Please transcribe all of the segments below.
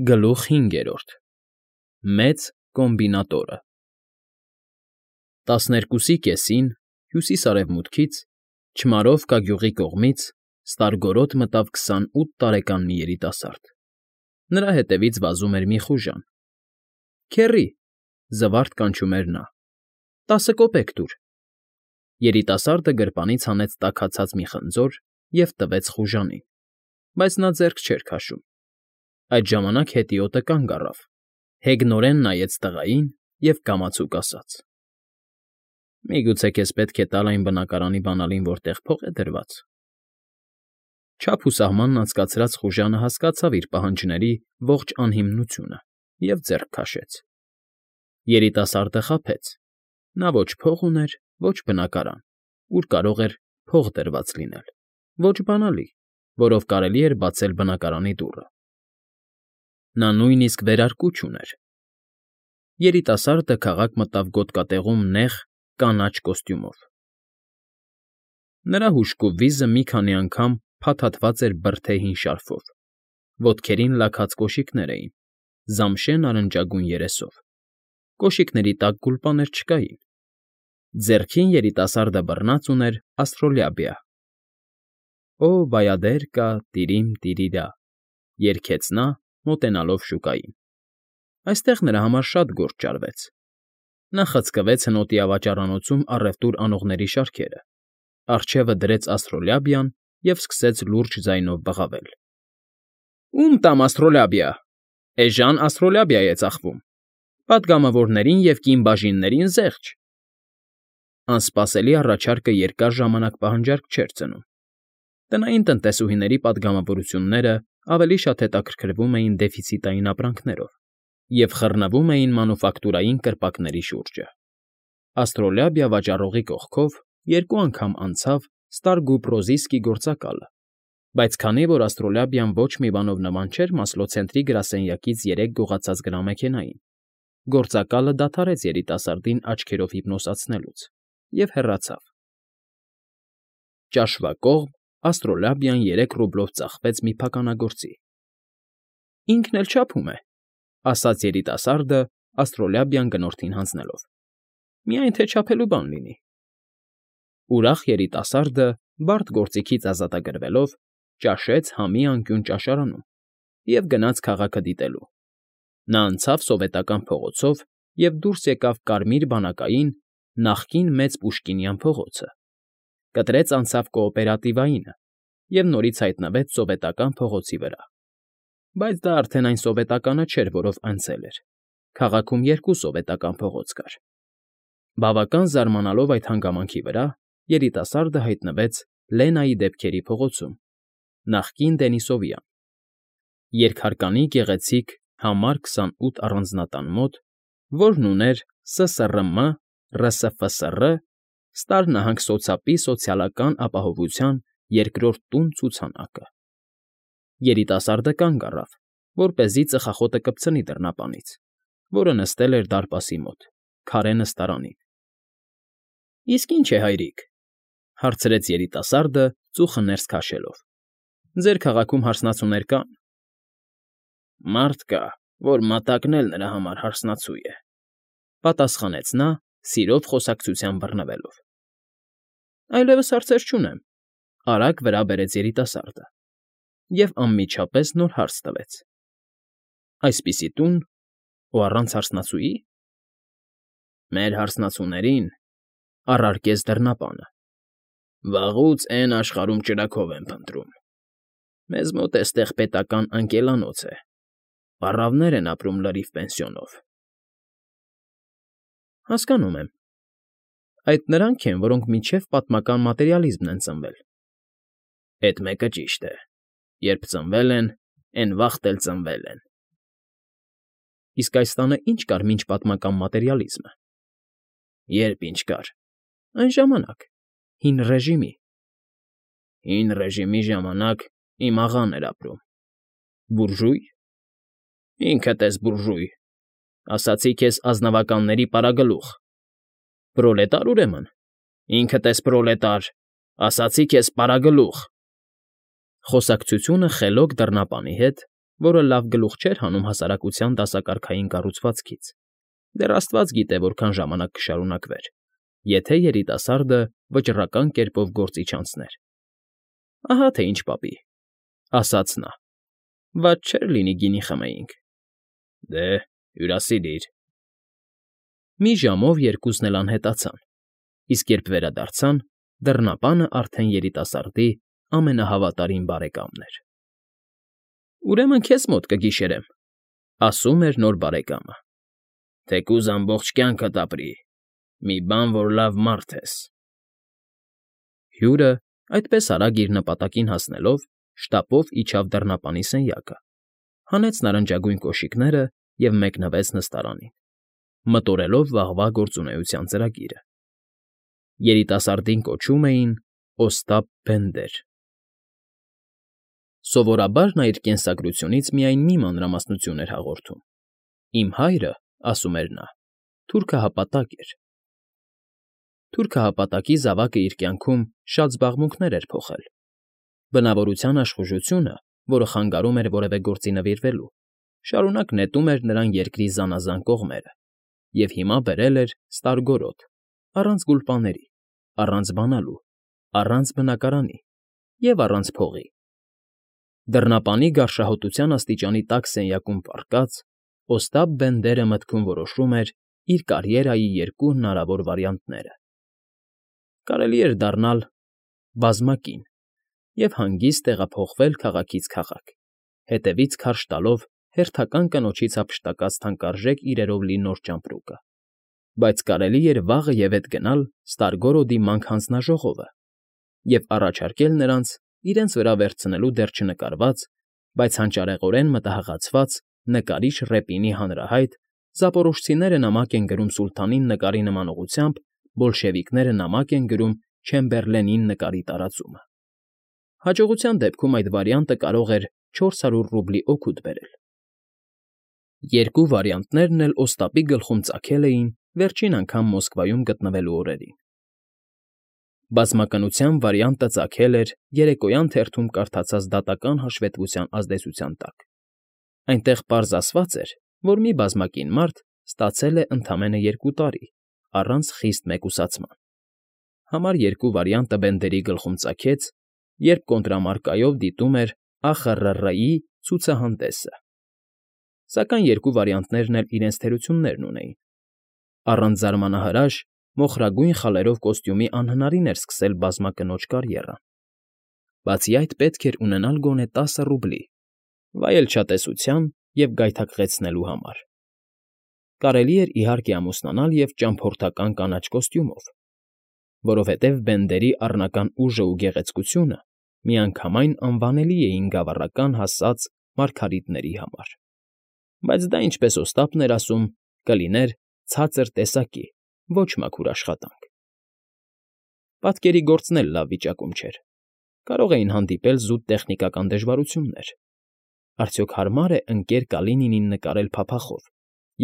Գլուխ 5 Մեծ կոմբինատորը 12-ի կեսին հյուսիս֊արևմուտքից, Չմարովկա գյուղի կողմից ստարգորոտ մտավ 28 տարեկան մի երիտասարդ. նրա հետևից վազում էր մի խուժան։ ֊ Քեռի,֊ զվարթ կանչում էր նա,֊ 10 կոպեկ տուր։ Երիտասարդը գրպանից հանեց տաքացած մի խնձոր և տվեց խուժանին, բայց նա ձեռք չէր քաշում։ Այդ ժամանակ հետիոտը կանգ առավ, հեգնորեն նայեց տղային և կամացուկ ասաց. «Միգուցե քեզ պետք է տալ այն բնակարանի բանալին, որտեղ փող է դրված»։ Չափ ու սահմանն անցկացրած խուժանը հասկացավ իր պահանջների ողջ անհիմնությունը և ձեռք քաշեց։ Երիտասարդը խաբեց. նա ոչ փող ուներ, ոչ բնակարան, ուր կարող էր փող դրված լինել, ոչ բանալի, որով կարելի էր բացել բնակարանի դուռը։ Նա նույնիսկ վերարկու չուներ։ Երիտասարդը քաղաք մտավ գոտկատեղում նեղ, կանաչ կոստյումով։ Նրա հուժկու վիզը մի քանի անգամ փաթաթված էր բրդե հին շարֆով, ոտքերին լաքած կոշիկներ էին, զամշե նարնջագույն երեսով, կոշիկների տակ գուլպաներ չկային։ Ձեռքին երիտասարդը բռնած ուներ աստրոլաբիա։ «Օ բայադերկա, տիրիմ֊տիրիրա», երգեց նա, մոտենալով շուկային։ Այստեղ նրա համար շատ գործ ճարվեց։ Նա խցկվեց հնոտի ավաճառանոցում առևտուր անողների շարքերը, առջևը դրեց աստրոլաբիան և սկսեց լուրջ ձայնով բղավել. «Ո՞ւմ տամ աստրոլաբիա, էժան աստրոլաբիա է ծախվում, պատգամավորներին և կին բաժիններին զեղչ»։ Անսպասելի առաջարկը երկար ժամանակ պահանջարկ չէր ծնում։ Տնային տնտեսուհիների պատգամավորությունները ավելի շատ հետաքրքրվում էին դեֆիցիտային ապրանքներով և խռնվում էին մանուֆակտուրային կրպակների շուրջը։ Աստրոլաբիա վաճառողի կողքով 2 անգամ անցավ Ստարգուպրոզիսկի գործակալը, բայց քանի որ աստրոլաբիան ոչ մի բանով նման չէր Մասլո ցենտրի գրասենյակից 3 գողացած գրամեքենային, գործակալը դադարեց երիտասարդին աչքերով հիպնոսացնելուց և հեռացավ։ Ճաշվա կողմ աստրոլաբիան 3 ռուբլով ծախվեց մի փականագործի։ «Ինքն էլ չափում է», ասաց երիտասարդը աստրոլաբիան գնորդին հանձնելով, «միայն թե չափելու բան լինի»։ Ուրախ երիտասարդը, բարդ գործիքից ազատագրվելով, ճաշեց համի անկյուն ճաշարանում և գնաց քաղաքը դիտելու։ Նա անցավ Սովետական փողոցով և դուրս եկավ Կարմիր բանակային, նախկին Մեծ Պուշկինյան փողոցը, կտրեց անցավ Կոոպերատիվայինը և նորից հայտնվեց Սովետական փողոցի վրա։ Բայց դա արդեն այն սովետականը չէր, որով անցել էր. քաղաքում 2 սովետական փողոց կար։ Բավական զարմանալով այդ հանգամանքի վրա, երիտասարդը հայտնվեց Լենայի դեպքերի փողոցում, նախկին Դենիսովյան, երկհարկանի գեղեցիկ համար 28 առանձնատան մոտ, որն ուներ ՍՍՌՄ ՌՍՖՍՌ Ստար նահանգ-սոցապի սոցիալական ապահովության 2-րդ տուն֊ցուցանակը։ Երիտասարդը կանգ առավ, որպեսզի ծխախոտը կպցնի դռնապանից, որը նստել էր դարպասի մոտ, քարե նստարանին։ ֊ Իսկ ի՞նչ է, հայրիկ,֊ հարցրեց երիտասարդը, ծուխը ներս քաշելով։֊ Ձեր քաղաքում հարսնացուներ կա՞ն։ ֊ Մարդ կա, որ մատակն էլ նրա համար հարսնացու է,֊ պատասխանեց նա, սիրով խոսակցության բռնվելով։ ֊ Այլևս հարցեր չունեմ,֊ արագ վրա բերեց երիտասարդը և անմիջապես նոր հարց տվեց. Այսպիսի տուն, ու առանց հարսնացուի՞։ ֊ Մեր հարսնացուներին առարկեց դռնապանը, վաղուց էն աշխարհում ճրագով են փնտրում։ Մեզ մոտ էստեղ պետական անկելանոց է, պառավներ են ապրում լրիվ պենսիոնով։ ֊ Հասկանում եմ։ Այդ նրանք են, որոնք մինչև պատմական մատերիալիզմն են ծնվել։ ֊ Էդ մեկը ճիշտ է. երբ ծնվել են, էն վաղտ էլ ծնվել են։ ֊ Իսկ այս տանը ի՞նչ կար մինչ պատմական մատերիալիզմը։ ֊ Երբ ինչ կար։ ֊ Այն ժամանակ, Հին ռեժիմի։ ֊ Հին ռեժիմի ժամանակ իմ աղան էր ապրում։ ֊ Բուրժույ։ ֊ Ինքդ ես բուրժույ, ասացի քեզ ազնվականների պարագլուխ։ ֊ Պրոլետար, ուրեմն։ ֊ Ինքդ ես պրոլետար, ասացի քեզ պարագլուխ։ Խոսակցությունը խելոք դռնապանի հետ որը լավ գլուխ չէր հանում հասարակության դասակարգային կառուցվածքից. դեռ Աստված գիտե, որքան ժամանակ կշարունակվեր, եթե երիտասարդը վճռական կերպով գործի չանցներ։ Ահա թե ինչ պապի, ասաց նա, վատ չէր լինի գինի խմեինք։ Դե, հյուրասիրիր։ Մի ժամով երկուսն էլ անհետացան, իսկ երբ վերադարձան, դռնապանը արդեն երիտասարդի ամենահավատարիմ բարեկամն էր։ Ուրեմն քեզ մոտ կգիշերեմ, ասում էր նոր բարեկամը։ Թեկուզ ամբողջ կյանքդ ապրի, մի բան, որ լավ մարդ ես։ Հյուրը, այդպես արագ իր նպատակին հասնելով, շտապով իջավ դռնապանի սենյակը, հանեց նարնջագույն կոշիկները և մեկնվեց նստարանին, մտորելով վաղվա գործունեության ծրագիրը։ Երիտասարդին կոչում էին Օստապ Բենդեր։ Սովորաբար նա իր կենսագրությունից միայն մի մանրամասնություն էր հաղորդում. «Իմ հայրը, ասում էր նա, թուրքահապատակ էր»։ Թուրքահապատակի զավակը իր կյանքում շատ զբաղմունքներ էր փոխել։ Բնավորության աշխուժությունը, որը խանգարում էր որևէ գործի նվիրվելու, շարունակ նետում էր նրան երկրի զանազան կողմերը և հիմա բերել էր ստարգորոտ, առանց գուլպաների, առանց բանալու, առանց բնակարանի և առանց փողի։ Դռնապանի գարշահոտության աստիճանի տաք սենյակում պառկած, Օստապ Բենդերը մտքում որոշում էր իր կարիերայի երկու հնարավոր վարիանտները. կարելի էր դառնալ բազմակին և հանգիստ տեղափոխվել քաղաքից քաղաք, հետևից քարշ տալով հերթական կնոջից հափշտակած թանկարժեք իրերով լի նոր ճամպրուկը, բայց կարելի էր վաղը և ետ գնալ Ստարգորոդի մանկ հանձնաժողովը և առաջարկել նրանց իրենց վրա վերցնելու դեռ չնկարված, բայց հանճարեղորեն մտահղացված նկարիչ Ռեպինի հանրահայտ «Զապորոժցիները նամակ են գրում սուլթանին» նկարի նման ուղղությամբ բոլշևիկները նամակ են գրում Չեմբերլենին նկարի տարածումը։ Հաջողության դեպքում այդ վարիանտը կարող էր 400 ռուբլի օգուտ բերել։ Երկու վարիանտներն էլ Օստապի գլխում ծագել էին վերջին անգամ Մոսկվայում գտնվելու օրերին։ Բազմականության վարիանտը ծագել էր երեկոյան թերթում կարդացած դատական հաշվետվության ազդեցության տակ։ Այնտեղ պարզ ասված էր, որ մի բազմակին մարդ ստացել է ընդամենը 2 տարի, առանց խիստ մեկուսացման։ Համար 2 վարիանտը Բենդերի գլխում ծագեց, երբ կոնտրամարկայով դիտում էր ԱԽՌՌ֊ի ցուցահանդեսը։ Սակայն երկու վարիանտներն էլ իրենց թերություններն ունեին։ Առանց զարմանահրաշ, մոխրագույն խալերով կոստյումի անհնարին էր սկսել բազմակնոջ կարիերան։ Բացի այդ, պետք էր ունենալ գոնե 10 ռուբլի, վայելչատեսության և գայթակղեցնելու համար։ Կարելի էր, իհարկե, ամուսնանալ և ճամփորդական կանաչ կոստյումով, որովհետև Բենդերի առնական ուժն ու գեղեցկությունը միանգամայն անվանելի էին գավառական հասած մարգարիտների համար, բայց դա, ինչպես Օստապն էր ասում, կլիներ ցածր տեսակի, ոչ մաքուր աշխատանք։ Պատկերի գործն էլ լավ վիճակում չէր, կարող էին հանդիպել զուտ տեխնիկական դժվարություններ։ Արդյոք հարմար է ընկեր Կալինինին նկարել փափախով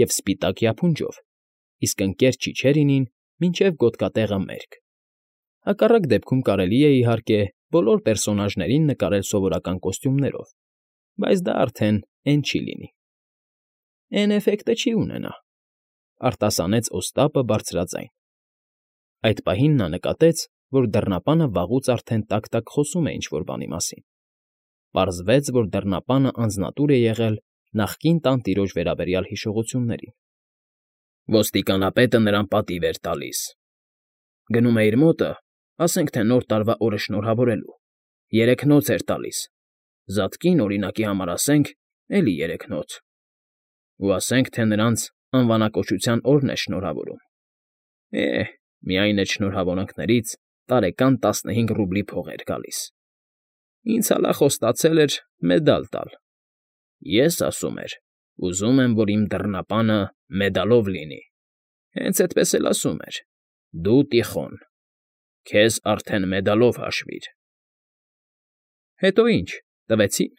և սպիտակ յափունջով, իսկ ընկեր Չիչերինին մինչև գոտկատեղը մերկ։ Հակառակ դեպքում կարելի է, իհարկե, բոլոր պերսոնաժներին նկարել սովորական կոստյումներով, բայց դա արդեն էն չի լինի։ Էն էֆեկտը չի ունենա, արտասանեց Օստապը բարձրաձայն։ Այդ պահին նա նկատեց, որ դռնապանը վաղուց արդեն տակ֊տակ խոսում է ինչ֊որ բանի մասին։ Պարզվեց, որ դռնապանը անձնատուր է եղել նախկին տանտիրոջ վերաբերյալ հիշողություններին։ Ոստիկանապետը նրան պատիվ էր տալիս։ Գնում է իր մոտը, ասենք թե Նոր տարվա օրը շնորհավորելու, 3 նոց էր տալիս, զատկին, օրինակի համար ասենք, էլի 3 նոց, ու ասենք թե նրանց անվանակոչության օրն է շնորհավորում։ Միայն այդ շնորհավորանքներից տարեկան 15 ռուբլի փող էր գալիս։ Ինձ հալա խոստացել էր մեդալ տալ։ Ես, ասում էր, ուզում եմ, որ իմ դռնապանը մեդալով լինի։ Հենց էդպես էլ ասում էր. դու, Տիխոն, քեզ արդեն մեդալով հաշվիր։ Հետո ինչ, տվեցի՞ն։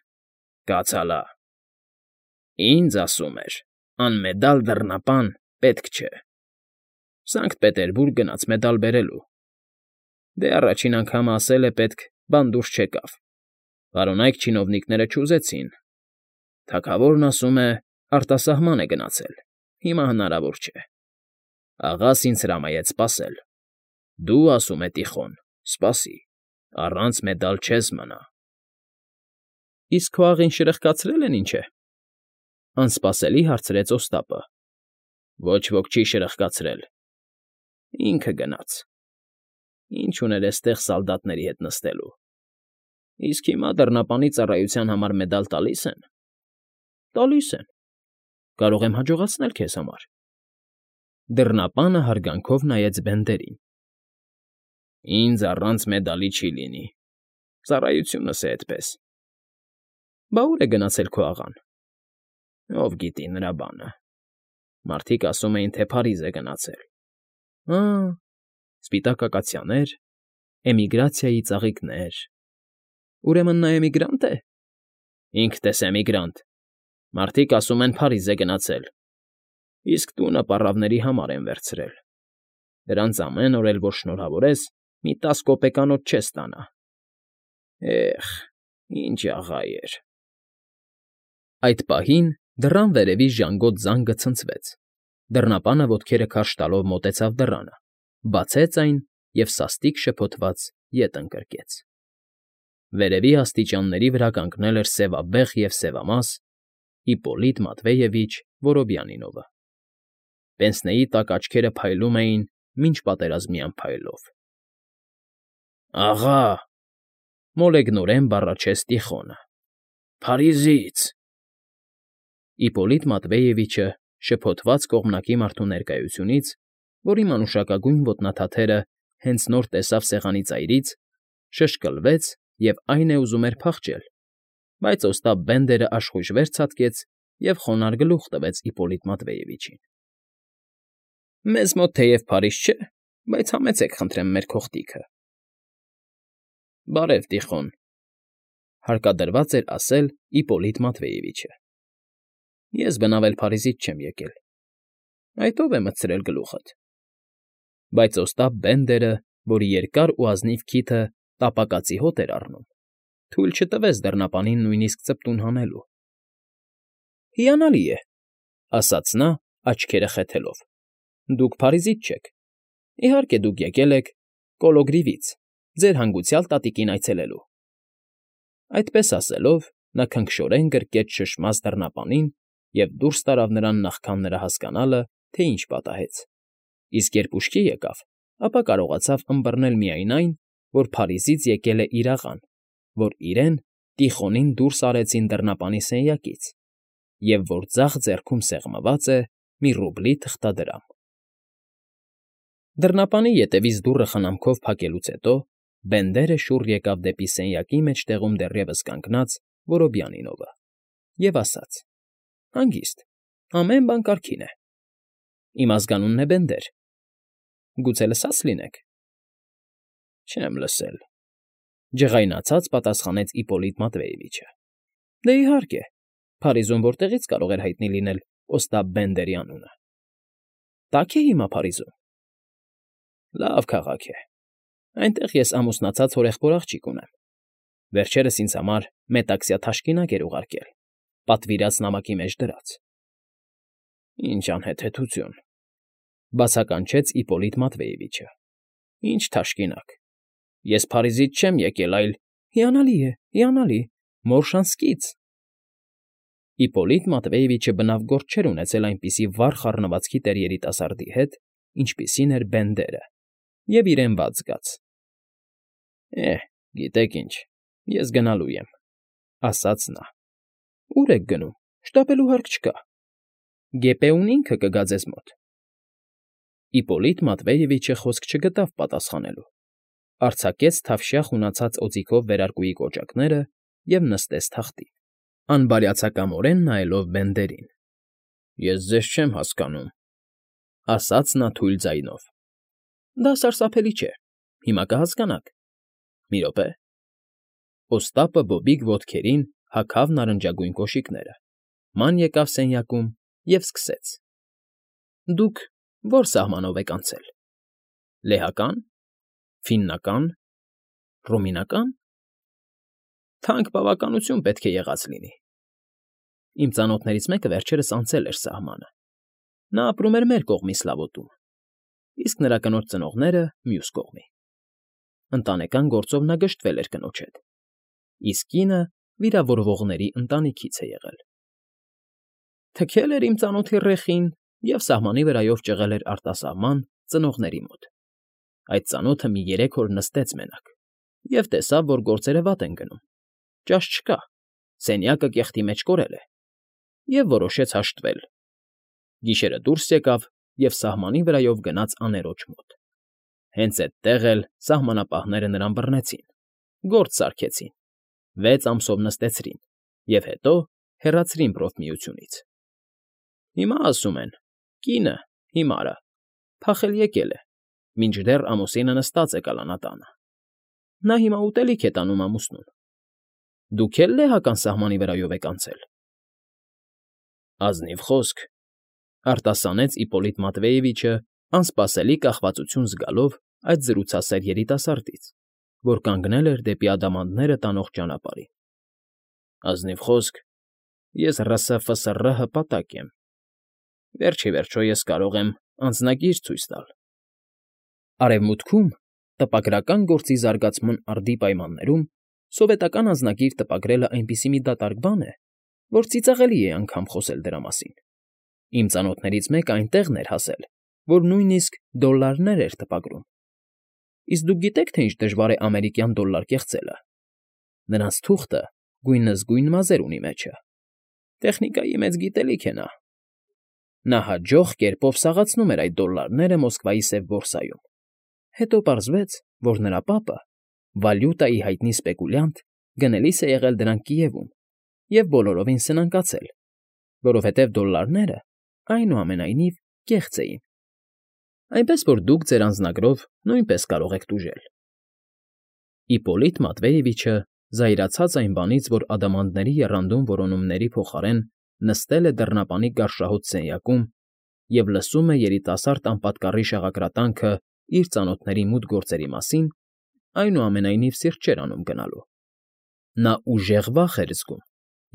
Կաց հալա։ Ինձ, ասում էր, անմեդալ դռնապան պետք չէ։ Սանկտ Պետերբուրգ գնաց մեդալ բերելու։ Դե առաջին անգամը ասել է պետք, բան դուրս չեկավ։ Պարոնայք չինովնիկները չուզեցին։ Թագավորն ասում է, արտասահման է գնացել, հիմա հնարավոր չէ։ Աղաս ինձ հրամայեց սպասել։ Դու, ասում է Տիխոն, սպասի, առանց մեդալ չես մնա։ Իսկ քո աղին շրխկացրել են, ինչ է, անսպասելի հարցրեց Օստապը։ Ոչ ոք չի շրխկացրել։ Ինքը գնաց։ Ինչ ուներ էստեղ սալդատների հետ նստելու։ Իսկ հիմա դռնապանի ծառայության համար մեդալ տալիս են։ Տալիս են։ Կարող եմ հաջողացնել քեզ համար։ Դռնապանը հարգանքով նայեց Բենդերին։ Ինձ առանց մեդալի չի լինի։ Ծառայությունս է այդպես։ Բա ուր է գնացել քո աղան։ Ով գիտի նրա բանը։ Մարդիկ ասում էին, թե Փարիզ է գնացել։ Սպիտակ ակացիաներ, էմիգրացիայի ծաղիկներ։ Ուրեմն նա էմիգրանտ է։ Ինքդ ես էմիգրանտ։ Մարդիկ ասում են Փարիզ է գնացել։ Իսկ տունը պառավների համար են վերցրել։ Դրանց ամեն օր էլ որ շնորհավորես, մի 10 կոպեկանոց չես ստանա։ Էխ, ինչ աղա էր։ Այդ պահին դռան վերևի ժանգոտ զանգը ցնցվեց։ Դռնապանը ոտքերը քարշ տալով մոտեցավ դռանը, բացեց այն և սաստիկ շփոթված ետ ընկրկեց։ Վերևի աստիճանների վրա կանգնել էր սևաբեղ և սևամաս Իպպոլիտ Մատվեևիչ Որոբյանինովը։ Պենսնեի տակ աչքերը փայլում էին մինչ պատերազմյան փայլով։ Աղա, մոլեգնորեն բառաչեց Տիխոնը։ Փարիզից։ Իպպոլիտ Մատվեևիչը շփոթված կողմնակի մարդու ներկայությունից, որի մանուշակագույն ոտնաթաթերը հենց նոր տեսավ սեղանի ծայրից, շշկլվեց և այն է ուզում էր փախչել, բայց Օստապ Բենդերը աշխույժ վեր ցատկեց և խոնարհ գլուխ տվեց Իպպոլիտ Մատվեևիչին։ Մեզ մոտ թեև Փարիզ չէ, բայց համեցեք խնդրեմ մեր քողտիքը։ Բարև, Տիխոն, հարկադրված էր ասել Իպպոլիտ Մատվեևիչը։ Ես բնավ էլ Փարիզից չեմ եկել։ Այդ ով է մտցրել գլուխդ։ Բայց Օստապ Բենդերը, որի երկար ու ազնիվ քիթը տապակածի հոտ էր առնում, թույլ չտվեց դռնապանին նույնիսկ ծպտուն հանելու։ Հիանալի է, ասաց նա, աչքերը խեթելով։ Դուք Փարիզից չեք։ Իհարկե, դուք եկել եք Կոլոգրիվից, ձեր հանգուցյալ տատիկին այցելելու։ Այդպես ասելով, նա քնքշորեն գրկեց շշմած դռնապանին և դուրս տարավ նրան նախքան նրա հասկանալը, թե ինչ պատահեց։ Իսկ երբ ուշքի եկավ, ապա կարողացավ ըմբռնել միայն այն, որ Փարիզից եկել է իր աղան, որ իրեն Տիխոնին դուրս արեցին դռնապանի սենյակից, և որ ձախ ձեռքում սեղմված է մի ռուբլի թղթադրամ։ Դռնապանի ետևից դուռը խնամքով փակելուց հետո Բենդերը շուռ եկավ դեպի սենյակի մեջտեղում դեռևս կանգնած Որոբյանինովը և ասաց. Հանգիստ, ամեն բան կարգին է։ Իմ ազգանունն է Բենդեր։ Գուցե լսած լինեք։ Չեմ լսել, ջղայնացած պատասխանեց Իպպոլիտ Մատվեևիչը։ Դե իհարկե, Փարիզում որտեղից կարող էր հայտնի լինել Օստապ Բենդերի անունը։ Տաք է հիմա Փարիզում։ Լավ քաղաք է։ Այնտեղ ես ամուսնացած հորեղբոր աղջիկ ունեմ։ Վերջերս ինձ համար մետաքսյա թաշկինակ էր ուղարկել, պատվիրած նամակի մեջ դրած։ Ինչ անհեթեթություն, բացականչեց Իպպոլիտ Մատվեևիչը։ Ինչ թաշկինակ։ Ես Փարիզից չեմ եկել, այլ… Հիանալի, Մորշանսկից։ Իպպոլիտ Մատվեևիչը բնավ գործ չէր ունեցել այնպիսի վառ խառնվածքի տեր երիտասարդի հետ, ինչպիսին էր Բենդերը, և իրեն վատ զգաց։ Գիտեք ինչ, ես գնալու եմ, ասաց նա։ Ո՞ւր եք գնում, շտապելու հարկ չկա։ Գեպեուն ինքը կգա ձեզ մոտ։ Իպպոլիտ Մատվեևիչը խոսք չգտավ պատասխանելու։ Արձակեց թավշյա խունացած օձիքով վերարկուի կոճակները և նստեց թախտին, անբարյացակամորեն նայելով Բենդերին։ Ես ձեզ չեմ հասկանում, ասաց նա թույլ ձայնով։ Դա սարսափելի չէ, հիմա կհասկանաք։ Մի րոպե։ Օստապը բոբիկ ոտքերին հագավ նարնջագույն կոշիկները, ման եկավ սենյակում և սկսեց. Դուք ո՞ր սահմանով եք անցել։ Լեհակա՞ն, Ֆիննական, Ռումինական։ Թանկ բավականություն պետք է եղած լինի։ Իմ ծանոթներից մեկը վերջերս անցել էր սահմանը։ Նա ապրում էր մեր կողմի Սլավոտում, իսկ նրա կնոջ ծնողները՝ մյուս կողմի։ Ընտանեկան գործով նա գժտվել էր կնոջ հետ, իսկ կինը վիրավորվողների ընտանիքից է եղել։ Թքել էր իմ ծանոթի ռեխին և սահմանի վրայով ճղել էր արտասահման ծնողների մոտ։ Այդ ծանոթը մի 3 օր նստեց մենակ և տեսավ, որ գործերը վատ են գնում, ճաշ չկա, սենյակը կեղտի մեջ կորել է, և որոշեց հաշտվել։ Գիշերը դուրս եկավ և սահմանի վրայով գնաց աներոջ մոտ։ Հենց էդտեղ էլ սահմանապահները նրան բռնեցին, գործ սարքեցին, 6 ամսով նստեցրին և հետո հեռացրին პრոֆմիությունից։ Հիմա ասում են. կինը, հիմարը, փախել եկել է, մինչդեռ ամուսինը նստած է կալանատանը։ Նա հիմա ուտելիք է տանում ամուսնուն։ Դուք էլ լեհական սահմանի վրայով եք անցել։ Ազնիվ խոսք, արտասանեց Իպոլիտ Մատվեևիչը, անսպասելի կախվածություն զգալով այդ զրուցասեր երիտասարդից, որ կանգնել էր դեպի ադամանդները տանող ճանապարհին։ Ազնիվ խոսք, ես ՌՍՖՍՌ հպատակ եմ։ Վերջ ի վերջո ես կարող եմ անձնագիր ցույց տալ։ Արևմուտքում տպագրական գործի զարգացման արդի պայմաններում սովետական անձնագիր տպագրելը այնպիսի մի դատարկ բան է, որ ծիծաղելի է անգամ խոսել դրա մասին։ Իմ ծանոթներից մեկը այնտեղն էր հասել, որ նույնիսկ դոլլարներ էր տպագրում։ Իսկ դուք գիտեք, թե ինչ դժվար է ամերիկյան դոլլար կեղծելը։ Նրանց թուղթը գույնզգույն մազեր ունի մեջը։ Տեխնիկայի մեծ գիտելիք է նա։ Նա հաջող կերպով սաղացնում էր այդ դոլլարները Մոսկվայի սև բորսայում։ Հետո պարզվեց, որ նրա պապը, վալյուտայի հայտնի սպեկուլյանտ, գնելիս է եղել դրանք Կիևում և բոլորովին սնանկացել, որովհետև դոլլարները, այնուամենայնիվ, կեղծ էին։ Այնպես որ դուք ձեր անձնագրով նույնպես կարող եք տուժել։ Իպոլիտ Մատվեևիչը զայրացած այն բանից, որ ադամանդների եռանդուն որոնումների փոխարեն նստել է դռնապանի գարշահոտ սենյակում և լսում է երիտասարդ անպատկառի շաղակրատանքը իր ծանոթների մութ գործերի մասին, այնուամենայնիվ սիրտ չէր անում գնալու։ Նա ուժեղ վախ էր զգում,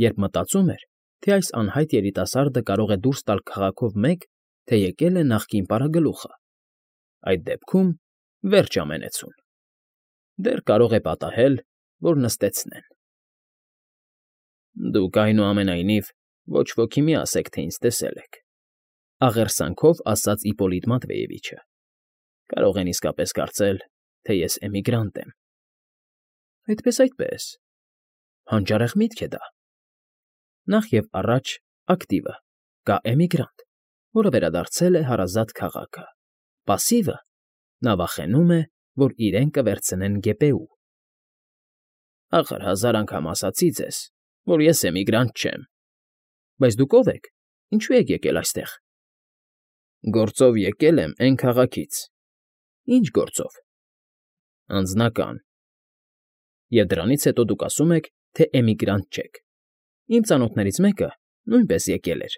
երբ մտածում էր, թե այս անհայտ երիտասարդը կարող է դուրս տալ քաղաքով մեկ, թե եկել է նախկին պարագլուխը։ Այդ դեպքում վերջ ամենեցուն։ Դեռ կարող է պատահել, որ նստեցնեն։ Դուք, այնուամենայնիվ, ոչ ոքի մի ասեք, թե ինձ տեսել եք,֊ աղերսանքով ասաց Իպոլիտ Մատվեևիչը։ Կարող են իսկապես կարծել, թե ես էմիգրանտ եմ։ Այդպես, հանճարեղ միտք է դա։ Նախ և առաջ ակտիվը կա էմիգրանտ, որը վերադարձել է հարազատ քաղաքը, պասիվը նա վախենում է, որ իրեն կվերցնեն գեբեու։ Ախր 1000 անգամ ասացի ձեզ, որ ես էմիգրանտ չեմ։ Բայց դուք ով եք, ինչու եք եկել այստեղ։ Գործով եկել եմ էն քաղաքից։ Ինչ գործով։ Անձնական։ Եվ դրանից հետո դուք ասում եք, թե էմիգրանտ չեք։ Իմ ծանոթներից մեկը նույնպես եկել էր։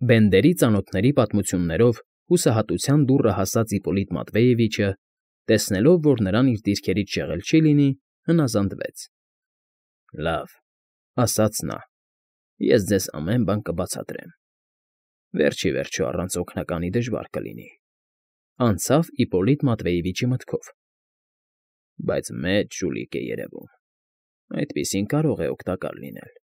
Բենդերի ծանոթների պատմություններով հուսահատության դուռը հասած Իպոլիտ Մատվեևիչը, տեսնելով, որ նրան իր դիրքերից շեղել չի լինի, հնազանդվեց։ Լավ,֊ ասաց նա,֊ ես ձեզ ամեն բան կբացատրեմ։ Վերջ ի վերջո առանց օգնականի դժվար կլինի։ Անցավ Իպոլիտ Մատվեևիչի մտքով։ Բայց մեծ ժուլիկ է երևում։ Այդպիսին կարող է օգտակար լինել։